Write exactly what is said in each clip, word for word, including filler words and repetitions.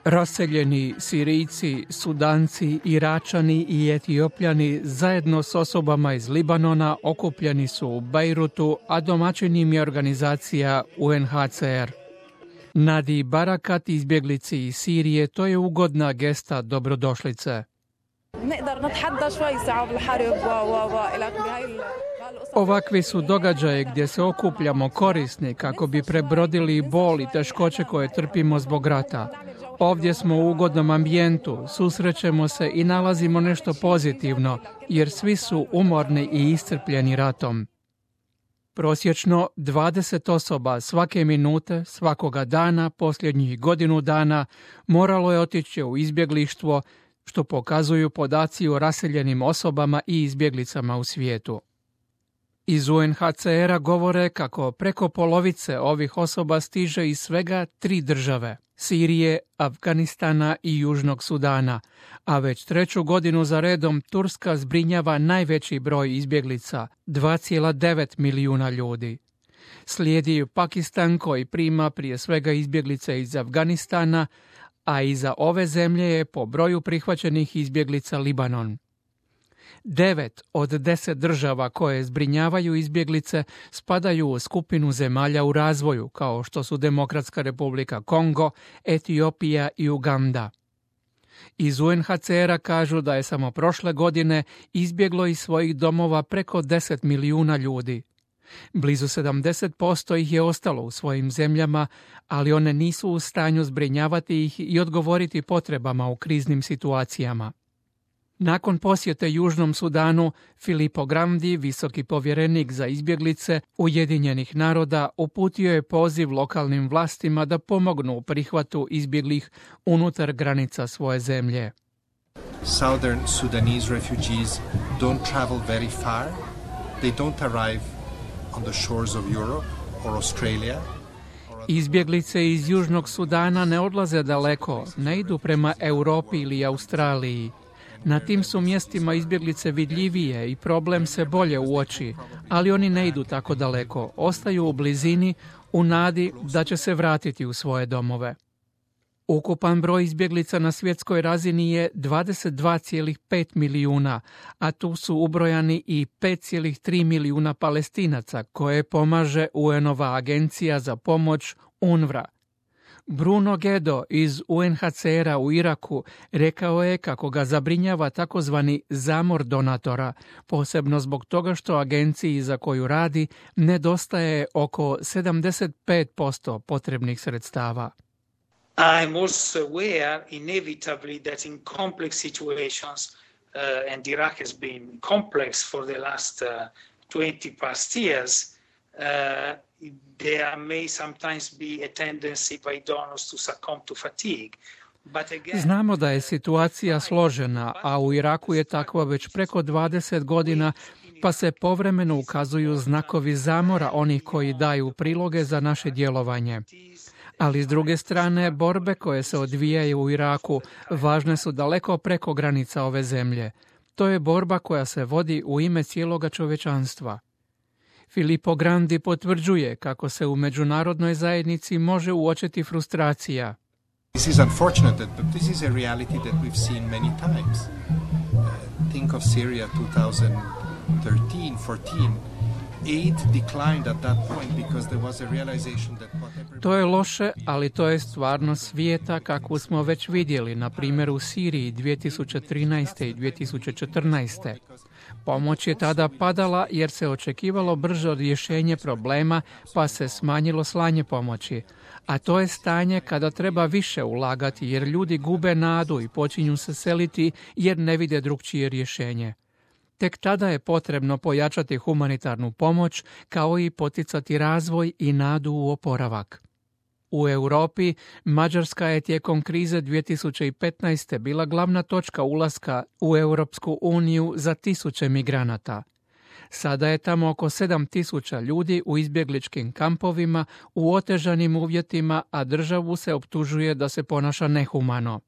Raseljeni Sirijci, Sudanci, Iračani i Etiopljani zajedno s osobama iz Libanona okupljeni su u Bejrutu, a domaćin im je organizacija U N H C R. Nadi Barakat, izbjeglici iz Sirije, to je ugodna gesta dobrodošlice. Ovakvi su događaje gdje se okupljamo korisni kako bi prebrodili bol i teškoće koje trpimo zbog rata. Ovdje smo u ugodnom ambijentu, susrećemo se i nalazimo nešto pozitivno, jer svi su umorni i iscrpljeni ratom. Prosječno dvadeset osoba svake minute, svakoga dana, posljednjih godinu dana, moralo je otići u izbjeglištvo, što pokazuju podaci o raseljenim osobama i izbjeglicama u svijetu. Iz U N H C R-a govore kako preko polovice ovih osoba stiže iz svega tri države – Sirije, Afganistana i Južnog Sudana, a već treću godinu za redom Turska zbrinjava najveći broj izbjeglica – dva zarez devet milijuna ljudi. Slijedi Pakistan koji prima prije svega izbjeglice iz Afganistana, a iza ove zemlje je po broju prihvaćenih izbjeglica Libanon. Devet od deset država koje zbrinjavaju izbjeglice spadaju u skupinu zemalja u razvoju, kao što su Demokratska Republika Kongo, Etiopija i Uganda. Iz U N H C R-a kažu da je samo prošle godine izbjeglo iz svojih domova preko deset milijuna ljudi. Blizu sedamdeset posto ih je ostalo u svojim zemljama, ali one nisu u stanju zbrinjavati ih i odgovoriti potrebama u kriznim situacijama. Nakon posjete Južnom Sudanu, Filippo Grandi, visoki povjerenik za izbjeglice Ujedinjenih naroda, uputio je poziv lokalnim vlastima da pomognu u prihvatu izbjeglih unutar granica svoje zemlje. Southern Sudanese refugees don't travel very far. They don't arrive on the shores of Europe or Australia. Izbjeglice iz Južnog Sudana ne odlaze daleko, ne idu prema Europi ili Australiji. Na tim su mjestima izbjeglice vidljivije i problem se bolje uoči, ali oni ne idu tako daleko, ostaju u blizini u nadi da će se vratiti u svoje domove. Ukupan broj izbjeglica na svjetskoj razini je dvadeset dva zarez pet milijuna, a tu su ubrojani i pet zarez tri milijuna Palestinaca koje pomaže U N-ova agencija za pomoć U N R W A. Bruno Gedo iz U N H C R-a u Iraku rekao je kako ga zabrinjava takozvani zamor donatora, posebno zbog toga što agenciji za koju radi nedostaje oko sedamdeset pet posto potrebnih sredstava. I'm also aware inevitably that in complex situations, uh, and Iraq has been complex for the last uh, twenty past years, uh, there may sometimes be a tendency by donors to succumb to fatigue. Again, znamo da je situacija složena, a u Iraku je takva već preko dvadeset godina, pa se povremeno ukazuju znakovi zamora onih koji daju priloge za naše djelovanje. Ali s druge strane, borbe koje se odvijaju u Iraku važne su daleko preko granica ove zemlje. To je borba koja se vodi u ime cijeloga čovječanstva. Filippo Grandi potvrđuje kako se u međunarodnoj zajednici može uočiti frustracija. This is unfortunate, but this is a reality that we've seen many times. Uh, think of Syria twenty thirteen, fourteen. Aid declined at that point because there was a realization that whatever... To je loše, ali to je stvarnost svijeta kakvu smo već vidjeli, na primjer u Siriji dvije tisuće trinaeste i dvije tisuće četrnaeste. Pomoć je tada padala jer se očekivalo brže rješenje problema, pa se smanjilo slanje pomoći. A to je stanje kada treba više ulagati jer ljudi gube nadu i počinju se seliti jer ne vide drugčije rješenje. Tek tada je potrebno pojačati humanitarnu pomoć kao i poticati razvoj i nadu u oporavak. U Europi, Mađarska je tijekom krize dvije tisuće petnaeste. bila glavna točka ulaska u Europsku uniju za tisuće migranata. Sada je tamo oko sedam tisuća ljudi u izbjegličkim kampovima u otežanim uvjetima, a državu se optužuje da se ponaša nehumano.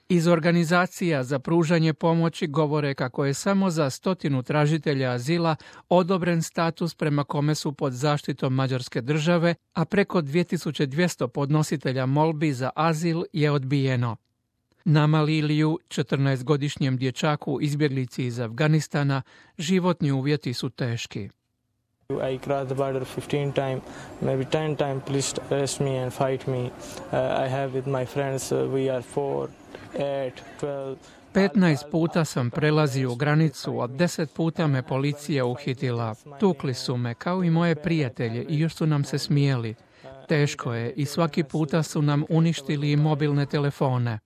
Iz organizacija za pružanje pomoći govore kako je samo za stotinu tražitelja azila odobren status prema kome su pod zaštitom Mađarske države, a preko dvije tisuće dvjesto podnositelja molbi za azil je odbijeno. Nama Liliju, četrnaestogodišnjem dječaku izbjeglici iz Afganistana, životni uvjeti su teški. I crossed the border fifteen times, maybe ten times police arrest me and fight me. Uh, I have with my friends, uh, we are four, eight, twelve. petnaest puta sam prelazio granicu, a deset puta me policija uhitila. Tukli su me, kao i moje prijatelje, i još su nam se smijeli. Teško je i svaki puta su nam uništili mobilne telefone.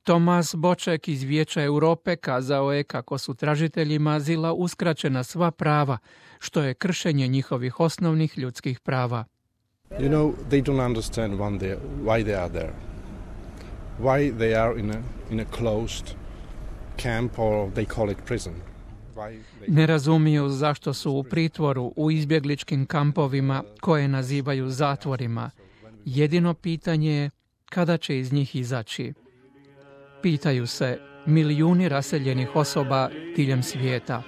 Tomas Boček iz Vijeća Europe kazao je kako su tražiteljima azila uskraćena sva prava, što je kršenje njihovih osnovnih ljudskih prava. You know, they don't understand when they, why they are there. Why they are in a, in a closed camp or they call it prison. They... Ne razumiju zašto su u pritvoru u izbjegličkim kampovima koje nazivaju zatvorima. Jedino pitanje je kada će iz njih izaći. Pitaju se milijuni raseljenih osoba diljem svijeta.